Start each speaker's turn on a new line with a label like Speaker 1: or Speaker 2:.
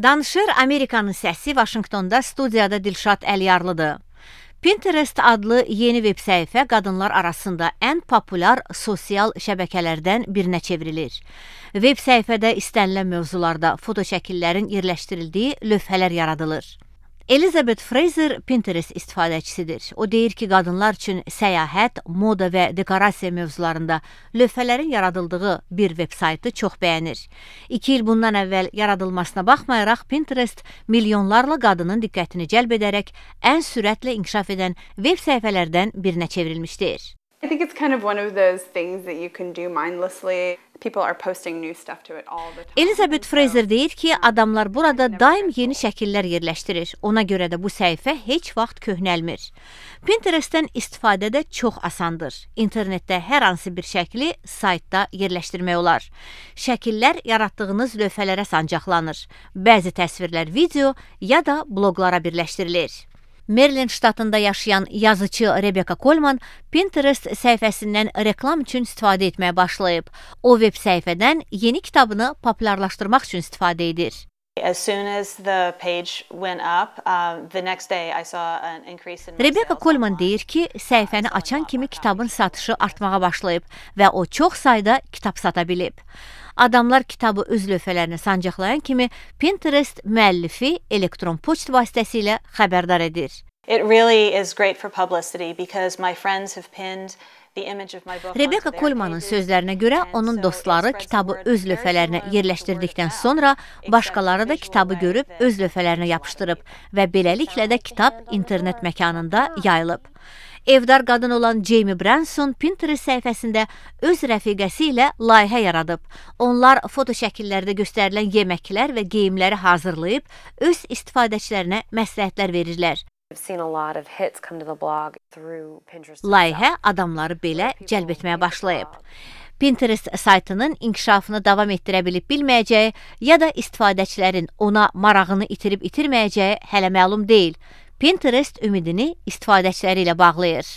Speaker 1: Danışır Amerikanın səsi Vaşinqtonda studiyada Dilşad Əliyarlıdır. Pinterest adlı yeni veb səhifə qadınlar arasında ən populyar sosial şəbəkələrdən birinə çevrilir. Veb səhifədə istənilən mövzularda foto şəkillərin yerləşdirildiyi lövhələr yaradılır. Elizabeth Fraser Pinterest istifadəçisidir. O deyir ki, qadınlar üçün səyahət, moda və dekorasiya mövzularında lövhələrin yaradıldığı bir veb saytı çox bəyənir. 2 il bundan əvvəl yaradılmasına baxmayaraq, Pinterest milyonlarla qadının diqqətini cəlb edərək ən sürətlə inkişaf edən veb səhifələrdən birinə çevrilmişdir.
Speaker 2: I think it's kind of one of those things that you can do mindlessly. People are posting new stuff to it all the time.
Speaker 1: Elizabeth Fraser deyir ki, adamlar burada daim yeni şəkillər yerləşdirir. Ona görə də bu səhifə heç vaxt köhnəlmir. Pinterestdən istifadə də çox asandır. İnternetdə hər hansı bir şəkli saytda yerləşdirmək olar. Şəkillər yaratdığınız lövhələrə sancaqlanır. Bəzi təsvirlər video ya da bloqlara birləşdirilir. Maryland ştatında yaşayan yazıcı Rebecca Coleman Pinterest səhifəsindən reklam üçün istifadə etməyə başlayıb. O veb səhifədən yeni kitabını populyarlaşdırmaq üçün istifadə edir.
Speaker 3: As soon as the page went up, the next day I saw an increase in my
Speaker 1: Rebecca
Speaker 3: sales
Speaker 1: Coleman
Speaker 3: online.
Speaker 1: deyir ki, səhifəni açan kimi kitabın satışı artmağa başlayıb və o çox sayda kitab sata bilib. Adamlar kitabı öz lövhələrinə sancaqlayan kimi Pinterest müəllifi elektron poçt vasitəsilə xəbərdar edir.
Speaker 3: It really is great for publicity because my friends have pinned the image of my book.
Speaker 1: Rebecca Coleman'ın sözlərinə görə onun dostları kitabı öz lövhələrinə yerləşdirdikdən sonra başqaları da kitabı görüb öz lövhələrinə yapışdırıb və beləliklə də kitab internet məkanında yayılıb. Evdar qadın olan Jamie Branson Pinterest səhifəsində öz rəfiqəsi ilə layihə yaradıb. Onlar foto şəkillərdə göstərilən yeməklər və geyimləri hazırlayıb öz istifadəçilərinə məsləhətlər verirlər.
Speaker 4: I've seen a lot of hits come to the blog through Pinterest.
Speaker 1: Layihə adamları belə cəlb etməyə başlayıb. Pinterest saytının inkişafını davam etdirə bilib bilməyəcəyi ya da istifadəçilərin ona marağını itirib itirməyəcəyi hələ məlum deyil. Pinterest ümidini istifadəçiləri ilə bağlayır.